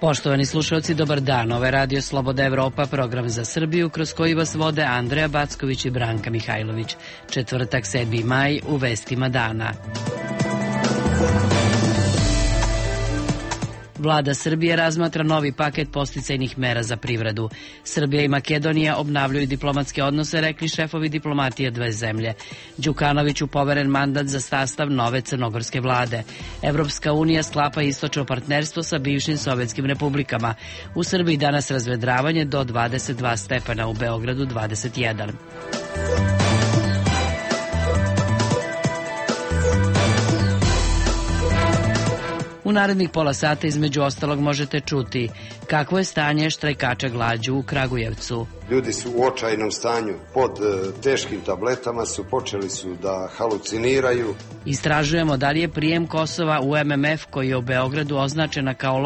Poštovani slušalci, dobar dan. Ovo je Radio Sloboda Evropa, program za Srbiju, kroz koji vas vode Andreja Backović i Branka Mihajlović. Četvrtak, 7. maj, u vestima dana. Vlada Srbije razmatra novi paket podsticajnih mera za privredu. Srbija i Makedonija obnavljaju diplomatske odnose, rekli šefovi diplomatije dve zemlje. Đukanoviću poveren mandat za sastav nove crnogorske vlade. Evropska unija sklapa istočno partnerstvo sa bivšim sovjetskim republikama. U Srbiji danas razvedravanje do 22 stepena, u Beogradu 21. U narednih pola sata između ostalog možete čuti kakvo je stanje štrajkača glađu u Kragujevcu. Ljudi su u očajnom stanju, pod teškim tabletama su, počeli su da haluciniraju. Istražujemo da li je prijem Kosova u MMF, koji je u Beogradu označena kao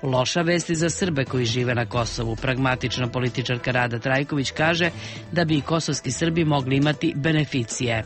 loša vest i za Srbe koji žive na Kosovu. Pragmatična političarka Rada Trajković kaže da bi i kosovski Srbi mogli imati beneficije.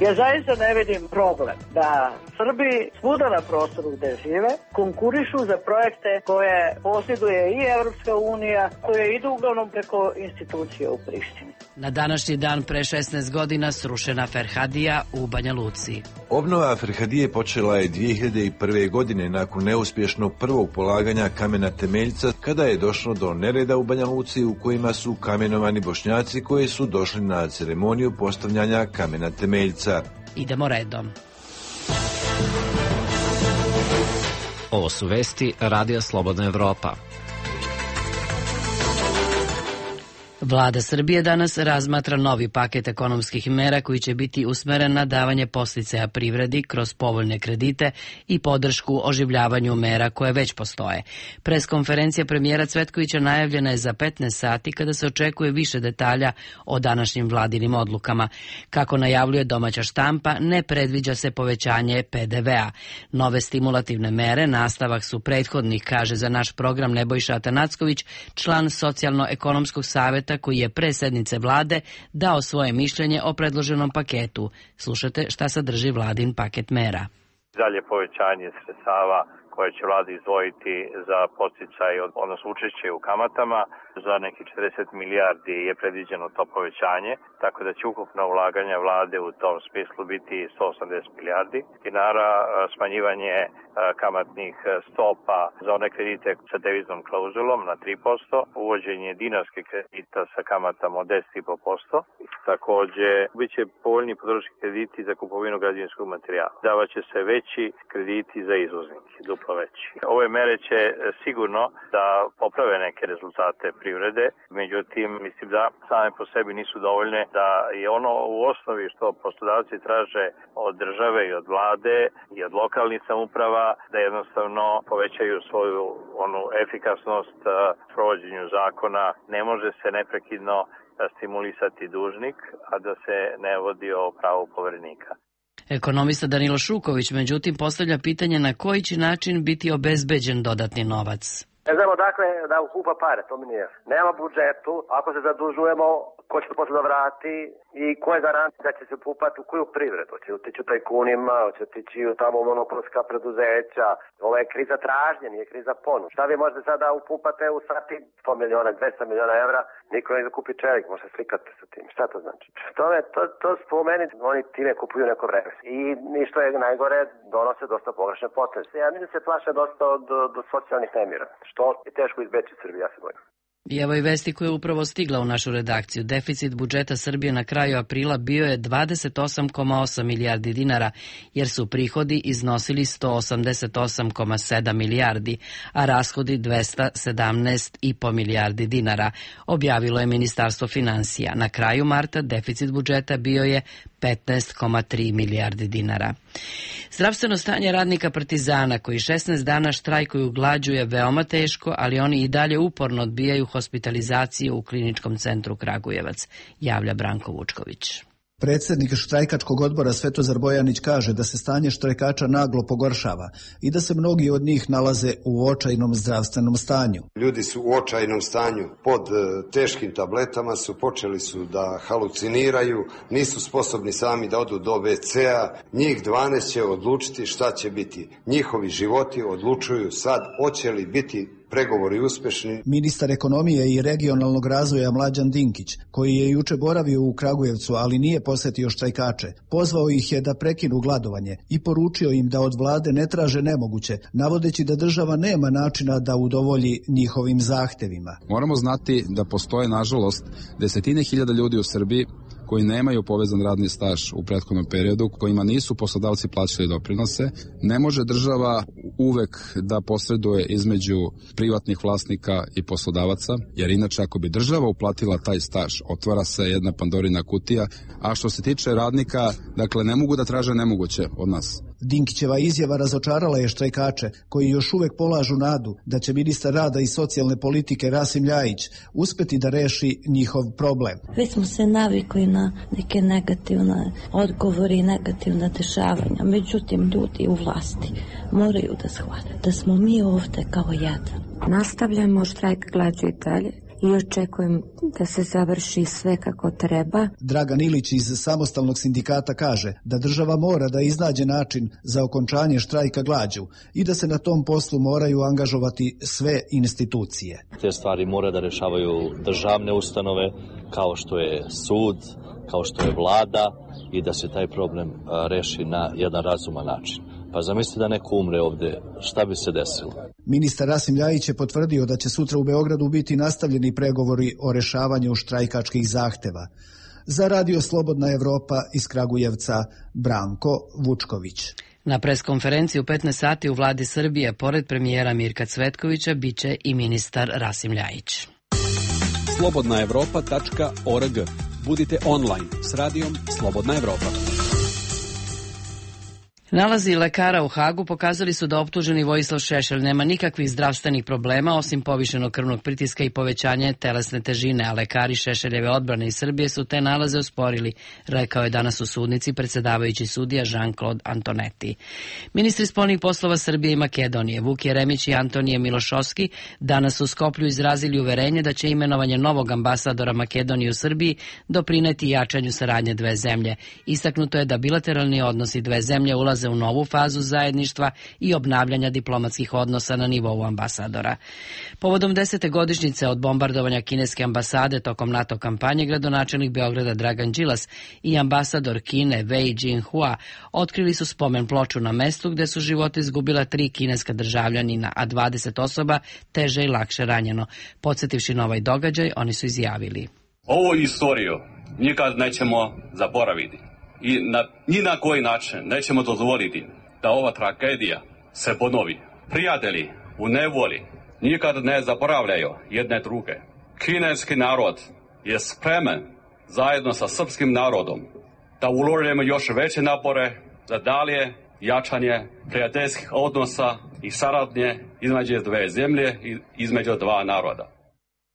Ja zaista ne vidim problem da Srbi svuda na prostoru gde žive konkurišu za projekte koje posjeduje i Evropska unija, koje idu uglavnom preko institucije u Prištini. Na današnji dan pre 16 godina srušena Ferhadija u Banja Luci. Obnova Ferhadije počela je 2001. godine nakon neuspješnog prvog polaganja kamena temeljca, kada je došlo do nereda u Banja Luci u kojima su kamenovani Bošnjaci koji su došli na ceremoniju postavljanja kamena temeljca. Idemo redom. Ovo su vesti Radija Slobodna Evropa. Vlada Srbije danas razmatra novi paket ekonomskih mera koji će biti usmeren na davanje podsticaja privredi kroz povoljne kredite i podršku oživljavanju mera koje već postoje. Preskonferencija premijera Cvetkovića najavljena je za 15 sati, kada se očekuje više detalja o današnjim vladinim odlukama. Kako najavljuje domaća štampa, ne predviđa se povećanje PDV-a. Nove stimulativne mere nastavak su prethodnih, kaže za naš program Nebojša Atanacković, član Socijalno-ekonomskog saveta, koji je pre sednice vlade dao svoje mišljenje o predloženom paketu. Slušajte šta sadrži vladin paket mera. Dalje povećanje sredstava koje će vlada izdvojiti za podsticaj, odnosno učešće u kamatama. Za nekih 40 milijardi je predviđeno to povećanje, tako da će ukupna ulaganja vlade u tom smislu biti 180 milijardi dinara, smanjivanje kamatnih stopa za one kredite sa deviznom klauzulom na 3%, uvođenje dinarskih kredita sa kamatama od 10,5%. Takođe, bit će povoljni potrošački krediti za kupovinu građevinskog materijala. Davaće se veći krediti za izvoznike, duplo veći. Ove mere će sigurno da poprave neke rezultate privrede, međutim, mislim da same po sebi nisu dovoljne, da je ono u osnovi što poslodavci traže od države i od vlade i od lokalnih samouprava, da jednostavno povećaju svoju efikasnost provođenju zakona. Ne može se neprekidno stimulisati dužnik, a da se ne vodi o pravu poverenika. Ekonomista Danilo Šuković, međutim, postavlja pitanje na koji će način biti obezbeđen dodatni novac. Ne znamo dakle da ukupa pare, to mi nije. Nema budžetu, ako se zadužujemo, ko će to posle da vrati i ko je garancija da će se upupati u koju privredu? Će otići u tajkunima, će otići u tamo monopolska preduzeća. Ovo je kriza tražnje, nije kriza ponude. Šta vi možete sada upupate u sati 100 miliona, 200 miliona evra, niko ne da kupi čelik, može slikati sa tim. Šta to znači? To spomeni, oni time kupuju neko vreme. I što je najgore, donose dosta pogrešne poteze. Ja mislim da se plaše dosta do socijalnih nemira, što je teško izbeći Srbiji, ja se bojim. I evo i vesti koja je upravo stigla u našu redakciju. Deficit budžeta Srbije na kraju aprila bio je 28,8 milijardi dinara, jer su prihodi iznosili 188,7 milijardi, a rashodi 217,5 milijardi dinara, objavilo je Ministarstvo finansija. Na kraju marta deficit budžeta bio je 15,3 milijardi dinara. Zdravstveno stanje radnika Partizana koji 16 dana štrajkuju glađu je veoma teško, ali oni i dalje uporno odbijaju hospitalizaciju u Kliničkom centru Kragujevac, javlja Branko Vučković. Predsjednik štrajkačkog odbora Svetozar Bojanić kaže da se stanje štrajkača naglo pogoršava i da se mnogi od njih nalaze u očajnom zdravstvenom stanju. Ljudi su u očajnom stanju, pod teškim tabletama su, počeli su da haluciniraju, nisu sposobni sami da odu do WC-a, njih 12 će odlučiti šta će biti. Njihovi životi odlučuju sad hoće li biti pregovori uspešni. Ministar ekonomije i regionalnog razvoja Mlađan Dinkić, koji je juče boravio u Kragujevcu, ali nije posetio štrajkače, pozvao ih je da prekinu gladovanje i poručio im da od vlade ne traže nemoguće, navodeći da država nema načina da udovolji njihovim zahtevima. Moramo znati da postoje, nažalost, desetine hiljada ljudi u Srbiji koji nemaju povezan radni staž u prethodnom periodu, kojima nisu poslodavci plaćali doprinose. Ne može država uvek da posreduje između privatnih vlasnika i poslodavaca, jer inače ako bi država uplatila taj staž, otvara se jedna Pandorina kutija, a što se tiče radnika, dakle ne mogu da traže nemoguće od nas. Dinkićeva izjava razočarala je štrajkače, koji još uvek polažu nadu da će ministar rada i socijalne politike Rasim Ljajić uspeti da reši njihov problem. Već smo se navikli na neke negativne odgovore i negativne dešavanja, međutim ljudi u vlasti moraju da shvate da smo mi ovde kao jedan. Nastavljamo štrajk glađu i dalje i očekujem da se završi sve kako treba. Dragan Ilić iz Samostalnog sindikata kaže da država mora da iznađe način za okončanje štrajka glađu i da se na tom poslu moraju angažovati sve institucije. Te stvari mora da rešavaju državne ustanove kao što je sud, kao što je vlada i da se taj problem reši na jedan razuman način. Pa zamislite da neko umre ovde, šta bi se desilo? Ministar Rasim Ljajić je potvrdio da će sutra u Beogradu biti nastavljeni pregovori o rešavanju štrajkačkih zahteva. Za Radio Slobodna Evropa iz Kragujevca, Branko Vučković. Na preskonferenciji u 15 sati u vladi Srbije, pored premijera Mirka Cvetkovića, biće i ministar Rasim Ljajić. slobodnaevropa.org. Budite online s radijom Slobodna Evropa. Nalazi lekara u Hagu pokazali su da optuženi Vojislav Šešelj nema nikakvih zdravstvenih problema osim povišenog krvnog pritiska i povećanje telesne težine, a lekari Šešeljeve odbrane iz Srbije su te nalaze osporili, rekao je danas u sudnici predsedavajući sudija Jean-Claude Antonetti. Ministri spoljnih poslova Srbije i Makedonije, Vuk Jeremić i Antonije Milošovski, danas u Skoplju izrazili uverenje da će imenovanje novog ambasadora Makedonije u Srbiji doprineti jačanju saradnje dve zemlje. Istaknuto je da bilateralni odnosi dve zemlje ulaze u novu fazu zajedništva i obnavljanja diplomatskih odnosa na nivou ambasadora. Povodom 10. godišnjice od bombardovanja kineske ambasade tokom NATO kampanje, gradonačelnik Beograda Dragan Đilas i ambasador Kine Wei Jinhua otkrili su spomen ploču na mestu gde su živote izgubila 3 kineska državljanina, a 20 osoba teže i lakše ranjeno. Podsjetivši na ovaj događaj, oni su izjavili: Ovu istoriju nikad nećemo zaboraviti. I ni na koji način nećemo dozvoliti da ova tragedija se ponovi. Prijatelji u nevoli nikad ne zaboravljaju jedne druge. Kineski narod je spreman zajedno sa srpskim narodom da uložimo još veće napore za dalje jačanje prijateljskih odnosa i saradnje između dve zemlje i između dva naroda.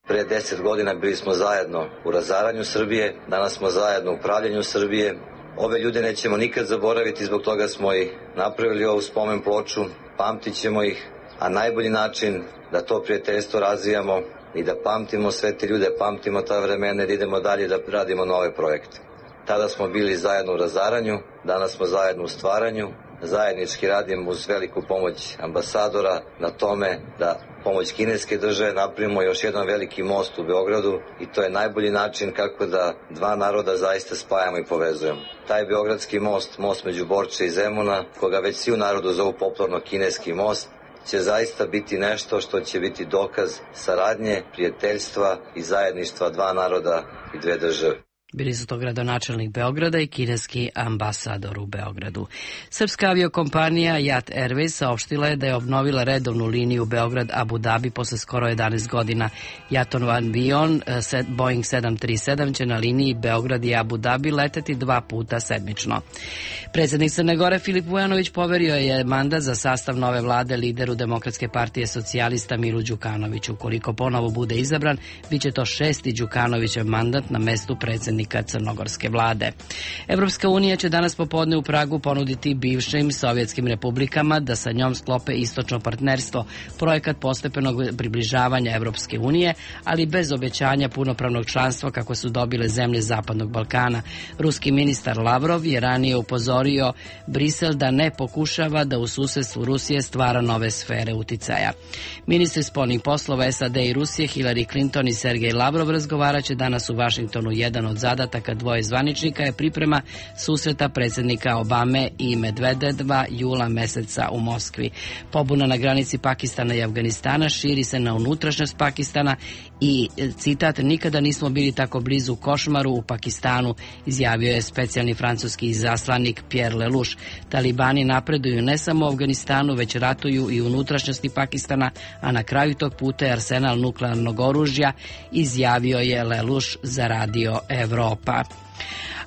Pre 10 godina bili smo zajedno u razaranju Srbije, danas smo zajedno u pravljenju Srbije. Ove ljude nećemo nikad zaboraviti, zbog toga smo i napravili ovu spomen ploču, pamtit ćemo ih, a najbolji način da to prijateljstvo razvijamo i da pamtimo sve te ljude, pamtimo ta vremena i idemo dalje da radimo nove projekte. Tada smo bili zajedno u razaranju, danas smo zajedno u stvaranju, zajednički radimo uz veliku pomoć ambasadora na tome da pomoć kineske države napravimo još jedan veliki most u Beogradu i to je najbolji način kako da dva naroda zaista spajamo i povezujemo. Taj beogradski most, most među Borče i Zemuna, koga već svi u narodu zovu popularno kineski most, će zaista biti nešto što će biti dokaz saradnje, prijateljstva i zajedništva dva naroda i dve države. Bili su to gradonačelnik Beograda i kineski ambasador u Beogradu. Srpska aviokompanija Jat Airways saopštila je da je obnovila redovnu liniju Beograd-Abu Dhabi posle skoro 11 godina. Jatov avion Boeing 737 će na liniji Beograd i Abu Dhabi leteti 2 puta sedmično. Predsjednik Crne Gore Filip Vujanović poverio je mandat za sastav nove vlade lideru Demokratske partije socijalista Milu Đukanoviću. Ukoliko ponovo bude izabran, biće to 6. Đukanovićev mandat na mestu predsjednika predstavnika crnogorske vlade. Evropska unija će danas popodne u Pragu ponuditi bivšim sovjetskim republikama da sa njom sklope istočno partnerstvo, projekat postepenog približavanja Evropske unije, ali bez obećanja punopravnog članstva kako su dobile zemlje Zapadnog Balkana. Ruski ministar Lavrov je ranije upozorio Brisel da ne pokušava da u susedstvu Rusije stvara nove sfere uticaja. Ministri spoljnih poslova SAD i Rusije Hillary Clinton i Sergej Lavrov razgovaraće danas u Vašingtonu. Jedan od zadataka dvoje zvaničnika je priprema susreta predsjednika Obame i Medvedeva jula meseca u Moskvi. Pobuna na granici Pakistana i Afganistana širi se na unutrašnjost Pakistana i, citat, nikada nismo bili tako blizu košmaru u Pakistanu, izjavio je specijalni francuski izaslanik Pierre Lelouch. Talibani napreduju ne samo u Afganistanu, već ratuju i u unutrašnjosti Pakistana, a na kraju tog puta je arsenal nuklearnog oružja, izjavio je Lelouch za Radio Evropa.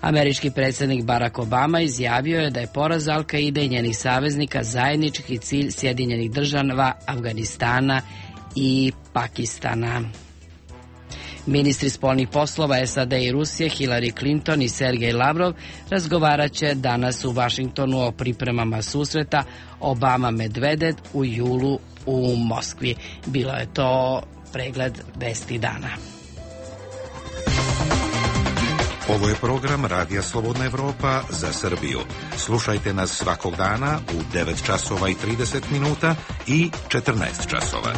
Američki predsjednik Barack Obama izjavio je da je poraz Al-Kaide i njenih saveznika zajednički cilj Sjedinjenih država, Afganistana i Pakistana. Ministri spoljnih poslova SAD i Rusije Hillary Clinton i Sergej Lavrov razgovarat će danas u Vašingtonu o pripremama susreta Obama-Medvedev u julu u Moskvi. Bilo je to pregled vesti dana. Ovo je program Radija Slobodna Evropa za Srbiju. Slušajte nas svakog dana u 9 časova i 30 minuta i 14 časova.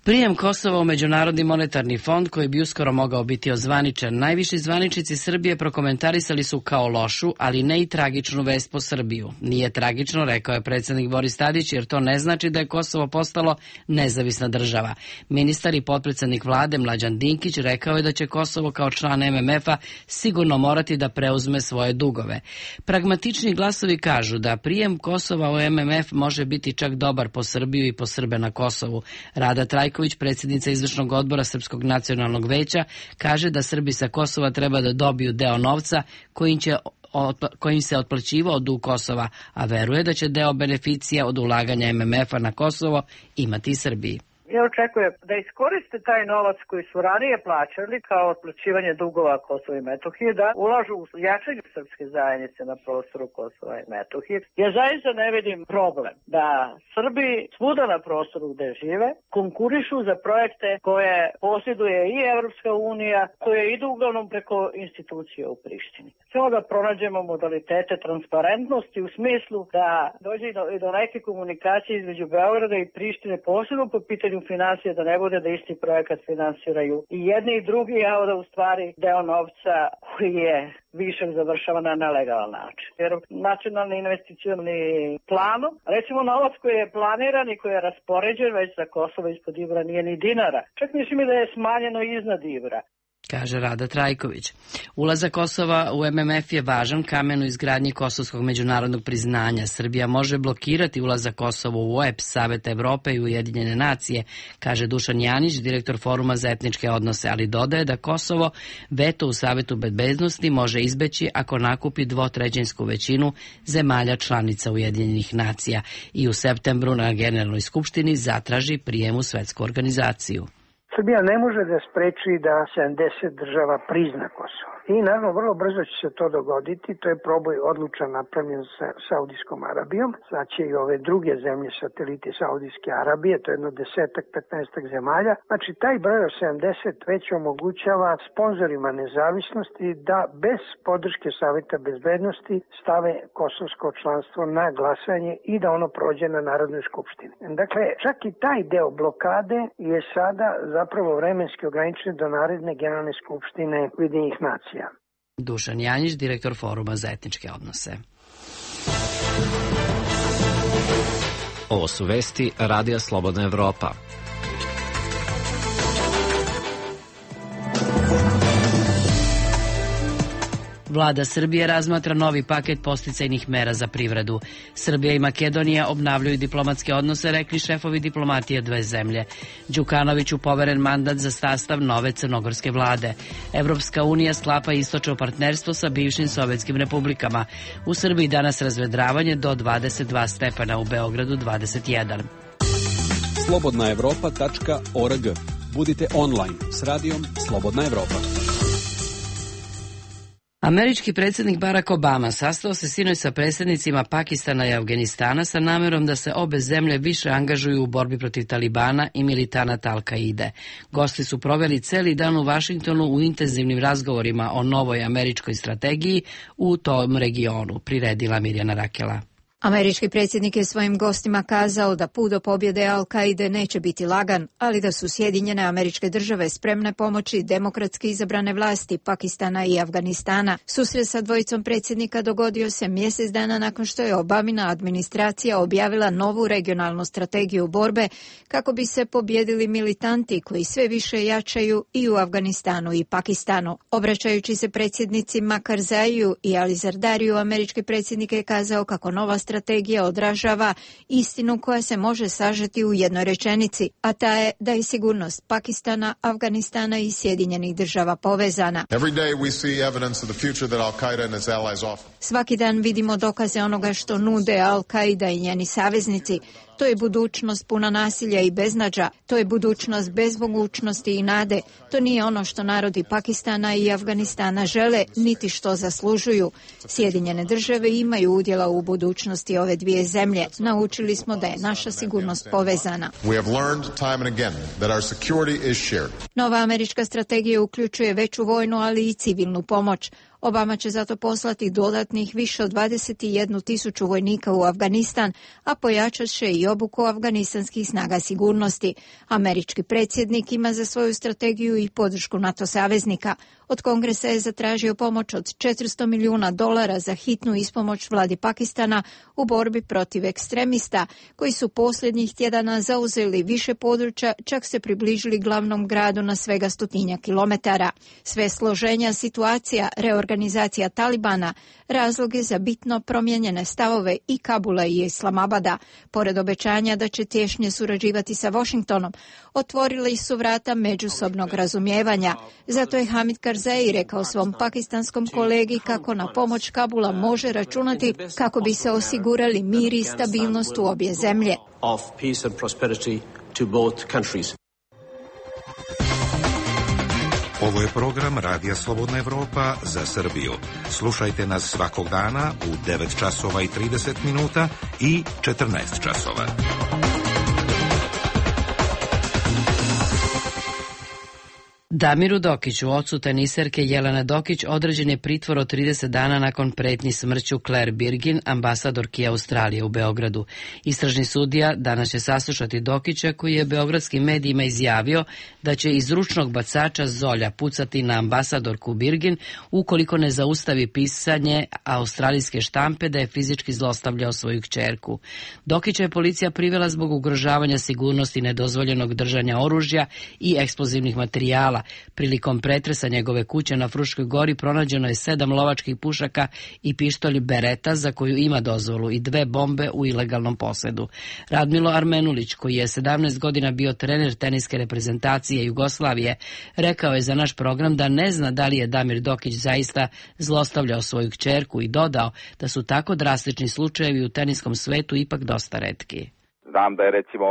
Prijem Kosova u Međunarodni monetarni fond, koji bi uskoro mogao biti ozvaničen, najviši zvaničnici Srbije prokomentarisali su kao lošu, ali ne i tragičnu vest po Srbiju. Nije tragično, rekao je predsjednik Boris Tadić, jer to ne znači da je Kosovo postalo nezavisna država. Ministar i potpredsjednik vlade Mlađan Dinkić rekao je da će Kosovo kao član MMF-a sigurno morati da preuzme svoje dugove. Pragmatični glasovi kažu da prijem Kosova u MMF može biti čak dobar po Srbiju i po Srbe na Kosovu. Rada Trajković, predsjednica izvršnog odbora Srpskog nacionalnog veća, kaže da Srbi sa Kosova treba da dobiju deo novca kojim se otplaćivao dug Kosova, a veruje da će deo beneficija od ulaganja MMF-a na Kosovo imati i Srbiji. Ja očekujem da iskoriste taj novac koji su ranije plaćali kao otplaćivanje dugova Kosova i Metohije, da ulažu u jačanje srpske zajednice na prostoru Kosova i Metohije. Ja zaista ne vidim problem da Srbi svuda na prostoru gde žive konkurišu za projekte koje posjeduje i Evropska unija, koje idu uglavnom preko institucija u Prištini. Samo da pronađemo modalitete transparentnosti u smislu da dođe i do neke komunikacije između Beograda i Prištine, posebno po pitanju financije, da ne bude da isti projekat finansiraju i jedni i drugi, a da u stvari deo novca koji je višak završava na nelegalan način. Jer nacionalni investicioni planom, recimo novac koji je planiran i koji je raspoređen već za Kosovo ispod Ibra nije ni dinara. Čak mislim da je smanjeno iznad Ibra, kaže Rada Trajković. Ulazak Kosova u MMF je važan kamen u izgradnji kosovskog međunarodnog priznanja. Srbija može blokirati ulazak Kosova u OEBS, Savet Evrope i Ujedinjene nacije, kaže Dušan Janić, direktor Foruma za etničke odnose, ali dodaje da Kosovo veto u Savetu bezbednosti može izbeći ako nakupi dvotrećinsku većinu zemalja članica Ujedinjenih nacija i u septembru na Generalnoj skupštini zatraži prijem u svetsku organizaciju. Srbija ne može da spreči da 70 država prizna Kosovo. I naravno vrlo brzo će se to dogoditi, to je proboj odlučan napravljen sa Saudijskom Arabijom, sad će i ove druge zemlje sateliti Saudijske Arabije, to je jedno 10-15 zemalja. Znači taj broj od 70 već omogućava sponzorima nezavisnosti da bez podrške Saveta bezbednosti stave kosovsko članstvo na glasanje i da ono prođe na Narodnoj skupštini. Dakle, čak i taj deo blokade je sada zapravo vremenski ograničen do naredne Generalne skupštine Ujedinjenih nacija. Dušan Janjić, direktor Foruma za etničke odnose. Ovo su vesti Radija Slobodna Evropa. Vlada Srbije razmatra novi paket podsticajnih mera za privredu. Srbija i Makedonija obnavljaju diplomatske odnose, rekli šefovi diplomatije dve zemlje. Đukanoviću poveren mandat za sastav nove crnogorske vlade. Evropska unija sklapa istočno partnerstvo sa bivšim sovjetskim republikama. U Srbiji danas razvedravanje do 22 stepena, u Beogradu 21. slobodnaevropa.org. Budite online s radijom Slobodna Evropa. Američki predsjednik Barack Obama sastao se sinoć sa predsjednicima Pakistana i Afganistana sa namjerom da se obe zemlje više angažuju u borbi protiv Talibana i militanata Al-Kaide. Gosti su proveli celi dan u Vašingtonu u intenzivnim razgovorima o novoj američkoj strategiji u tom regionu, priredila Mirjana Rakela. Američki predsjednik je svojim gostima kazao da put do pobjede Al-Kaide neće biti lagan, ali da su Sjedinjene Američke Države spremne pomoći demokratski izabrane vlasti Pakistana i Afganistana. Susret sa dvojicom predsjednika dogodio se mjesec dana nakon što je Obamina administracija objavila novu regionalnu strategiju borbe kako bi se pobjedili militanti koji sve više jačaju i u Afganistanu i Pakistanu. Obraćajući se predsjednicima Karzaiju i Ali Zardariju, američki predsjednik je kazao kako nova strategija odražava istinu koja se može sažeti u jednoj rečenici, a ta je da je sigurnost Pakistana, Afganistana i Sjedinjenih Država povezana. Svaki dan vidimo dokaze onoga što nude Al-Kaida i njeni saveznici. To je budućnost puna nasilja i beznađa. To je budućnost bez mogućnosti i nade. To nije ono što narodi Pakistana i Afganistana žele, niti što zaslužuju. Sjedinjene Države imaju udjela u budućnosti ove dvije zemlje. Naučili smo da je naša sigurnost povezana. Nova američka strategija uključuje veću vojnu, ali i civilnu pomoć. Obama će zato poslati dodatnih više od 21.000 vojnika u Afganistan, a pojačat će i obuku afganistanskih snaga sigurnosti. Američki predsjednik ima za svoju strategiju i podršku NATO saveznika. Od Kongresa je zatražio pomoć od $400 milijuna za hitnu ispomoć vladi Pakistana u borbi protiv ekstremista, koji su posljednjih tjedana zauzeli više područja, čak se približili glavnom gradu na svega 100 kilometara. Sve složenja situacija, reorganizacija Talibana, razloge za bitno promijenjene stavove i Kabula i Islamabada, pored obećanja da će tješnje surađivati sa Washingtonom, otvorili su vrata međusobnog razumijevanja. Zato je Hamid Karzai rekao svom pakistanskom kolegi kako na pomoć Kabula može računati kako bi se osigurali mir i stabilnost u obje zemlje. Ovo je program Radija Slobodna Evropa za Srbiju. Slušajte nas svakog dana u 9 časova i 30 minuta i 14 časova. Damiru Dokiću, ocu teniserke Jelene Dokić, određen je pritvor od 30 dana nakon pretnji smrću Claire Birgin, ambasadorki Australije u Beogradu. Istražni sudija danas će saslušati Dokića, koji je beogradskim medijima izjavio da će iz ručnog bacača Zolja pucati na ambasadorku Birgin ukoliko ne zaustavi pisanje australijske štampe da je fizički zlostavljao svoju kćerku. Dokića je policija privela zbog ugrožavanja sigurnosti, nedozvoljenog držanja oružja i eksplozivnih materijala. Prilikom pretresa njegove kuće na Fruškoj gori pronađeno je 7 lovačkih pušaka i pištolj Beretta za koju ima dozvolu i 2 bombe u ilegalnom posedu. Radmilo Armenulić, koji je 17 godina bio trener teniske reprezentacije Jugoslavije, rekao je za naš program da ne zna da li je Damir Dokić zaista zlostavljao svoju kćerku i dodao da su tako drastični slučajevi u teniskom svetu ipak dosta retki. Znam da je recimo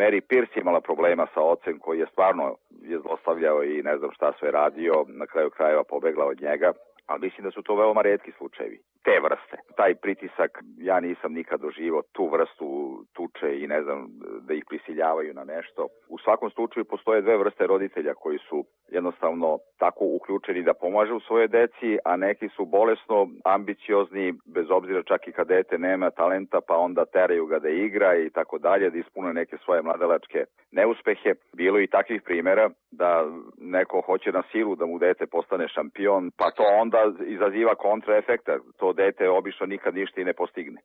Mary Pierce imala problema sa ocem koji je stvarno zlostavljao i ne znam šta sve radio, na kraju krajeva pobegla od njega, ali mislim da su to veoma retki slučajevi. Te vrste. Taj pritisak, ja nisam nikad doživao tu vrstu tuče i ne znam da ih prisiljavaju na nešto. U svakom slučaju postoje 2 vrste roditelja koji su jednostavno tako uključeni da pomažu svoje deci, a neki su bolesno ambiciozni, bez obzira čak i kad dete nema talenta, pa onda teraju ga da igra i tako dalje, da ispune neke svoje mladalačke neuspehe. Bilo i takvih primjera da neko hoće na silu da mu dete postane šampion, pa to onda izaziva kontraefekta. To dete obično nikad ništa i ne postigne.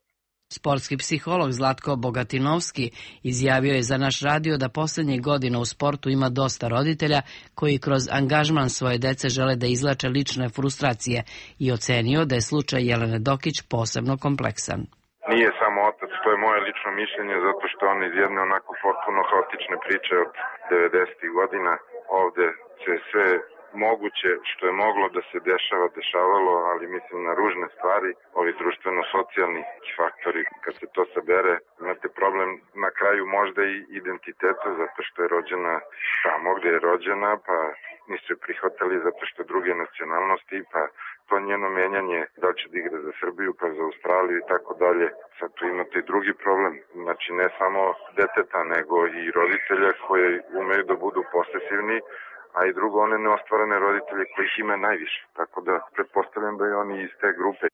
Sportski psiholog Zlatko Bogatinovski izjavio je za naš radio da posljednjih godina u sportu ima dosta roditelja koji kroz angažman svoje dece žele da izlače lične frustracije i ocenio da je slučaj Jelene Dokić posebno kompleksan. Nije samo otac, to je moje lično mišljenje, zato što on iz jedne onako potpuno haotične priče od 90. godina ovde se sve moguće, što je moglo da se dešavalo, ali mislim na ružne stvari, ovi društveno-socijalni faktori, kad se to sabere, imate problem na kraju možda i identiteta, zato što je rođena tamo gde je rođena, pa nisu je prihvatali zato što druge nacionalnosti, pa to njeno menjanje, da li će da igra za Srbiju, pa za Australiju i tako dalje. Sad tu imate i drugi problem, znači ne samo deteta, nego i roditelja koji umeju da budu posesivni, a i drugo, one neostvarene roditelje kojih ima najviše. Tako da pretpostavljam da je oni iz te grupe.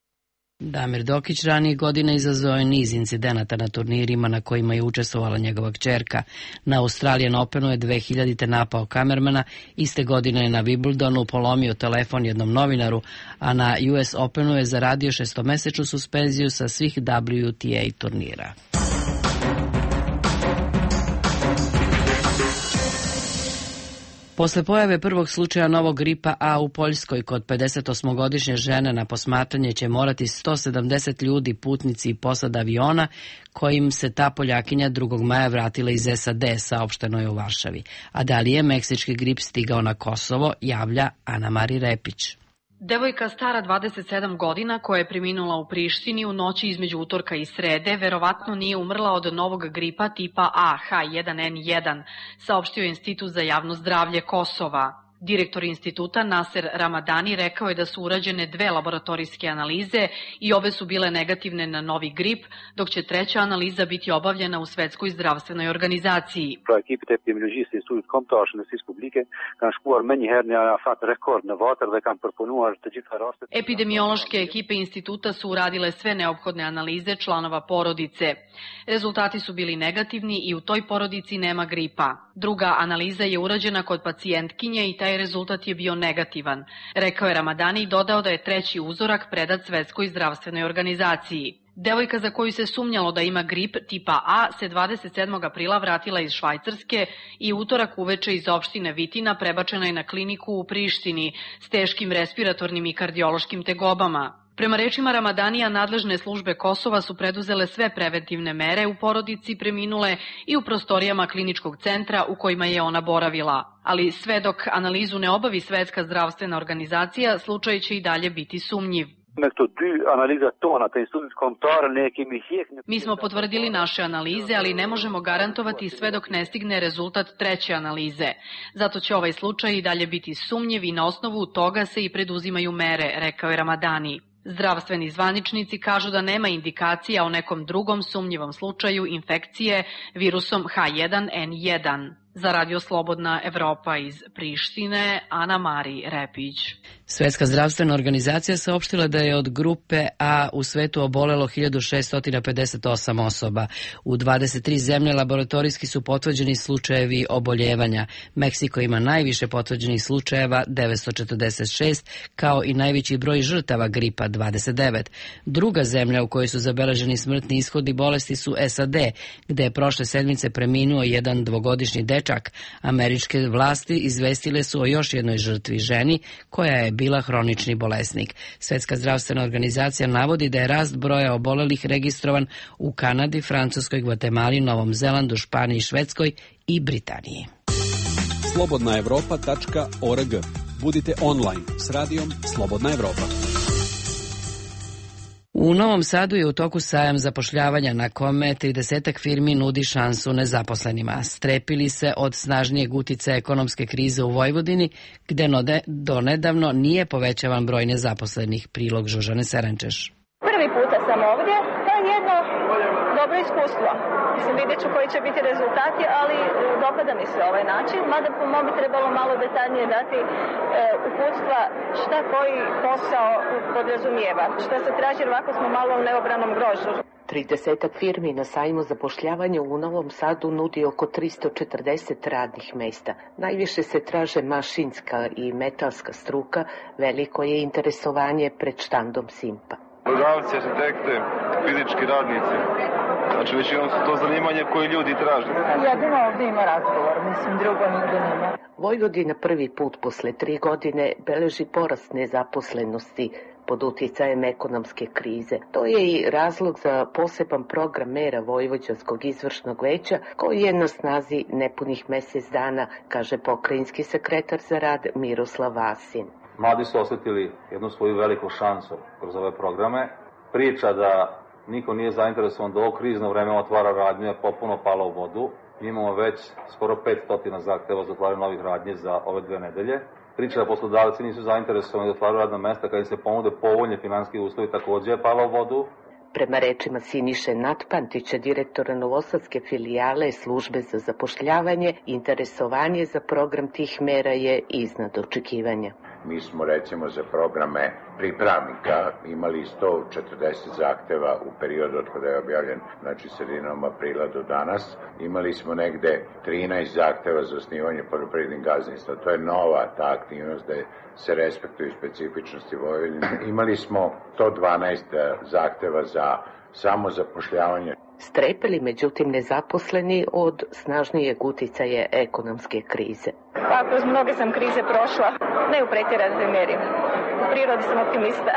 Damir Dokić ranije godine izazvao je niz incidenata na turnirima na kojima je učestvovala njegova kćerka. Na Australian Openu je 2000. napao kamermana, iste godine je na Wimbledonu polomio telefon jednom novinaru, a na US Openu je zaradio 6-mesečnu suspenziju sa svih WTA turnira. Posle pojave prvog slučaja novog gripa A u Poljskoj, kod 58-godišnje žene na posmatranje će morati 170 ljudi, putnici i posada aviona, kojim se ta Poljakinja 2. maja vratila iz SAD, saopšteno je u Varšavi. A da li je meksički grip stigao na Kosovo, javlja Ana Mari Repić. Devojka stara 27 godina koja je preminula u Prištini u noći između utorka i srede verovatno nije umrla od novog gripa tipa A H1N1, saopštio je Institut za javno zdravlje Kosova. Direktor instituta Naser Ramadani rekao je da su urađene 2 laboratorijske analize i obe su bile negativne na novi grip, dok će 3. analiza biti obavljena u Svetskoj zdravstvenoj organizaciji. Epidemiološke ekipe instituta su uradile sve neophodne analize članova porodice. Rezultati su bili negativni i u toj porodici nema gripa. Druga analiza je urađena kod pacijentkinje i taj rezultat je bio negativan, rekao je Ramadani i dodao da je 3. uzorak predat Svetskoj zdravstvenoj organizaciji. Devojka za koju se sumnjalo da ima grip tipa A se 27. aprila vratila iz Švajcarske i utorak uveče iz opštine Vitina prebačena je na kliniku u Prištini s teškim respiratornim i kardiološkim tegobama. Prema rečima Ramadanija, nadležne službe Kosova su preduzele sve preventivne mere u porodici preminule i u prostorijama kliničkog centra u kojima je ona boravila. Ali sve dok analizu ne obavi Svetska zdravstvena organizacija, slučaj će i dalje biti sumnjiv. Mi smo potvrdili naše analize, ali ne možemo garantovati sve dok ne stigne rezultat 3. analize. Zato će ovaj slučaj i dalje biti sumnjiv i na osnovu toga se i preduzimaju mere, rekao je Ramadani. Zdravstveni zvaničnici kažu da nema indikacija o nekom drugom sumnjivom slučaju infekcije virusom H1N1. Za Radio Slobodna Evropa iz Prištine, Ana Mari Repić. Svetska zdravstvena organizacija saopštila da je od grupe A u svetu obolelo 1658 osoba. U 23 zemlje laboratorijski su potvrđeni slučajevi oboljevanja. Meksiko ima najviše potvrđenih slučajeva, 946, kao i najveći broj žrtava gripa, 29. Druga zemlja u kojoj su zabeleženi smrtni ishodi bolesti su SAD, gde je prošle sedmice preminuo jedan 2-godišnji dečak. Američke vlasti izvestile su o još jednoj žrtvi, ženi koja je bila hronični bolesnik. Svetska zdravstvena organizacija navodi da je rast broja obolelih registrovan u Kanadi, Francuskoj, Gvatemali, Novom Zelandu, Španiji, Švedskoj i Britaniji. slobodnaevropa.org. Budite online s radijom Slobodna Evropa. U Novom Sadu je u toku sajam zapošljavanja na kome 30 firmi nudi šansu nezaposlenima. Strepili se od snažnijeg uticaja ekonomske krize u Vojvodini, gde donedavno nije povećavan broj nezaposlenih. Prilog Žužane Serančeš. Prvi puta sam ovdje, to je jedno dobro iskustvo. Mislim, vidjet ću koji će biti rezultati, ali dopada mi se ovaj način, mada po mom bi trebalo malo detaljnije dati uputstva šta koji posao podrazumijeva, šta se traži, jer ovako smo malo u neobranom grožđu. 30 firmi na sajmu zapošljavanja u Novom Sadu nudi oko 340 radnih mesta. Najviše se traže mašinska i metalska struka, veliko je interesovanje pred štandom Simpa. Brodavci, arhitekte, fizički radnici. Znači većinom su to zanimanje koje ljudi traže. Jedino ovdje ima razgovor, mislim, drugo nigde nema. Vojvodina prvi put posle 3 godine beleži porast nezaposlenosti. pod utjecajem ekonomske krize. To je i razlog za poseban program mera Vojvođanskog izvršnog veća koji je na snazi nepunih mjesec dana, kaže pokrajinski sekretar za rad Miroslav Vasin. Mladi su osjetili jednu svoju veliku šansu kroz ove programe. Priča da niko nije zainteresovan da ovo krizno vreme otvara radnje je potpuno pala u vodu. Mi imamo već skoro 500 zahteva za otvaranje novih radnji za ove 2 nedelje. Priča da poslodavci nisu zainteresovani da otvaraju radna mesta kada im se ponude povoljni finansijski uslovi također je pala u vodu. Prema rečima Siniše Natpantića, direktora novosadske filijale službe za zapošljavanje, interesovanje za program tih mera je iznad očekivanja. Mi smo recimo za programe pripravnika imali 140 zahteva u periodu od kada je objavljen, znači sredinom aprila do danas. Imali smo negde 13 zahteva za osnivanje poljoprivrednih gazdinstva. To je nova ta aktivnost da se respektuju specifičnosti Vojvodine. Imali smo 112 zahteva za samozapošljavanje. Strepeli, međutim, nezaposleni od snažnijeg uticaja ekonomske krize. Pa, kroz mnoge sam krize prošla, ne u pretjeranoj meri. U prirodi sam optimista.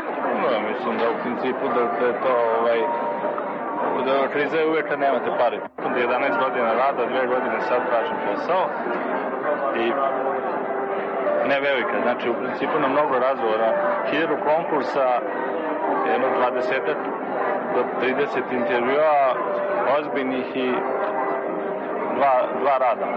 Mislim da u principu da je to da kriza je uvijek kad nemate pare. 11 godina rada, 2 godine sad tražim posao i ne velika. Znači, u principu na mnogo razgovora, 1000 konkursa, jedno 20 do 30 intervjua, ozbiljnih i dva rada.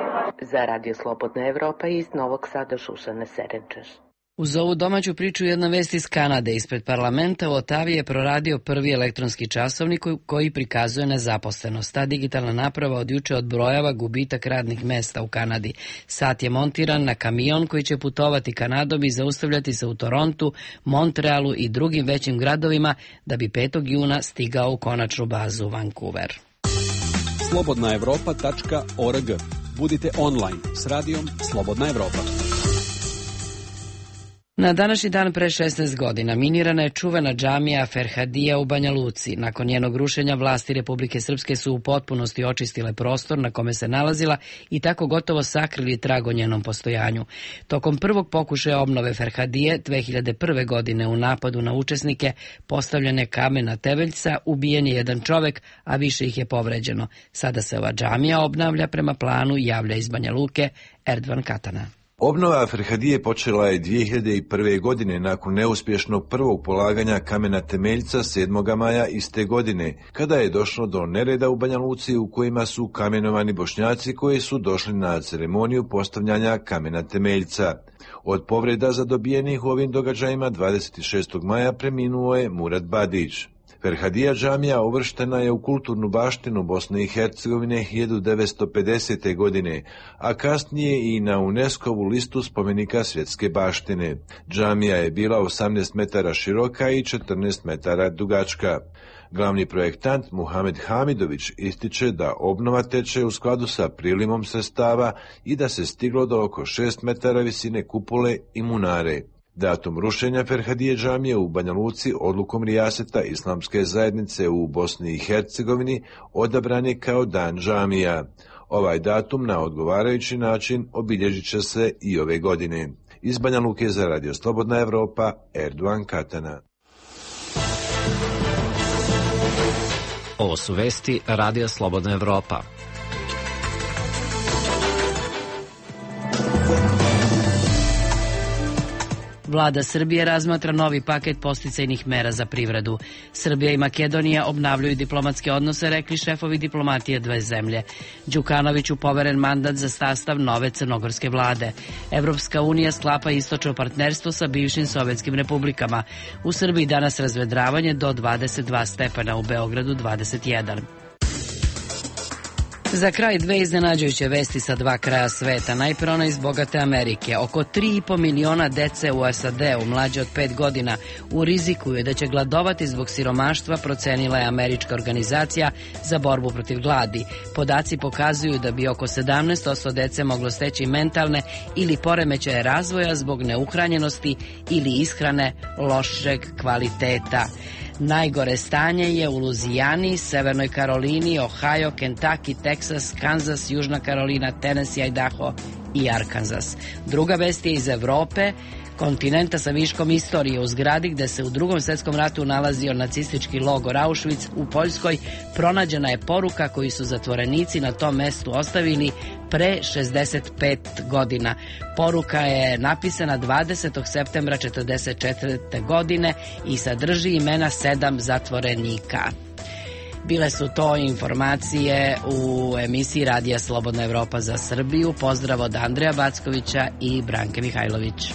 Za Radio Slobodna Evropa iz Novog Sada Šušana Serenčeš. Uz ovu domaću priču jedna vest iz Kanade. Ispred parlamenta u Otavi je proradio prvi elektronski časovnik koji prikazuje nezaposlenost. Ta digitalna naprava od juče odbrojava gubitak radnih mesta u Kanadi. Sat je montiran na kamion koji će putovati Kanadom i zaustavljati se u Torontu, Montrealu i drugim većim gradovima da bi 5. juna stigao u konačnu bazu Vancouver. slobodnaevropa.org. Budite online s radijom Slobodna Evropa. Na današnji dan pre 16 godina minirana je čuvena džamija Ferhadija u Banja Luci. Nakon njenog rušenja vlasti Republike Srpske su u potpunosti očistile prostor na kome se nalazila i tako gotovo sakrili trag o njenom postojanju. Tokom prvog pokušaja obnove Ferhadije 2001. godine u napadu na učesnike postavljene kamena temeljca ubijen je jedan čovek, a više ih je povređeno. Sada se ova džamija obnavlja prema planu, javlja iz Banja Luke Erdvan Katana. Obnova Ferhadije počela je 2001. godine nakon neuspješnog prvog polaganja kamena temeljca 7. maja iste godine, kada je došlo do nereda u Banja Luci u kojima su kamenovani Bošnjaci koji su došli na ceremoniju postavljanja kamena temeljca. Od povreda zadobijenih u ovim događajima 26. maja preminuo je Murad Badić. Ferhadija džamija uvrštena je u kulturnu baštinu Bosne i Hercegovine 1950. godine, a kasnije i na UNESCO-vu listu spomenika svjetske baštine. Džamija je bila 18 metara široka i 14 metara dugačka. Glavni projektant Muhamed Hamidović ističe da obnova teče u skladu sa prilimom sredstava i da se stiglo do oko 6 metara visine kupole i munare. Datum rušenja Ferhadije džamije u Banja Luci odlukom rijaseta Islamske zajednice u Bosni i Hercegovini odabran je kao dan džamija. Ovaj datum na odgovarajući način obilježit će se i ove godine. Iz Banja Luke za Radio Slobodna Evropa, Erdvan Katana. Ovo su vesti Radija Slobodna Evropa. Vlada Srbije razmatra novi paket podsticajnih mera za privredu. Srbija i Makedonija obnavljaju diplomatske odnose, rekli šefovi diplomatije dve zemlje. Đukanoviću poveren mandat za sastav nove crnogorske vlade. Evropska unija sklapa istočno partnerstvo sa bivšim sovjetskim republikama. U Srbiji danas razvedravanje do 22 stepena, u Beogradu 21. Za kraj dve iznenađujuće vesti sa dva kraja sveta. Najpre ona iz bogate Amerike. Oko 3,5 miliona dece u SAD-u mlađe od 5 godina u riziku je da će gladovati zbog siromaštva, procenila je američka organizacija za borbu protiv gladi. Podaci pokazuju da bi oko 17% dece moglo steći mentalne ili poremećaje razvoja zbog neuhranjenosti ili ishrane lošeg kvaliteta. Najgore stanje je u Luzijani, Severnoj Karolini, Ohio, Kentucky, Texas, Kansas, Južna Karolina, Tennessee, Idaho i Arkansas. Druga vest je iz Evrope. kontinenta sa viškom istorije u zgradi gde se u Drugom svetskom ratu nalazio nacistički logor Auschwitz u Poljskoj, pronađena je poruka koju su zatvorenici na tom mestu ostavili pre 65 godina. Poruka je napisana 20. septembra 1944. godine i sadrži imena 7 zatvorenika. Bile su to informacije u emisiji Radija Slobodna Evropa za Srbiju. Pozdrav od Andreja Backovića i Branke Mihajlović.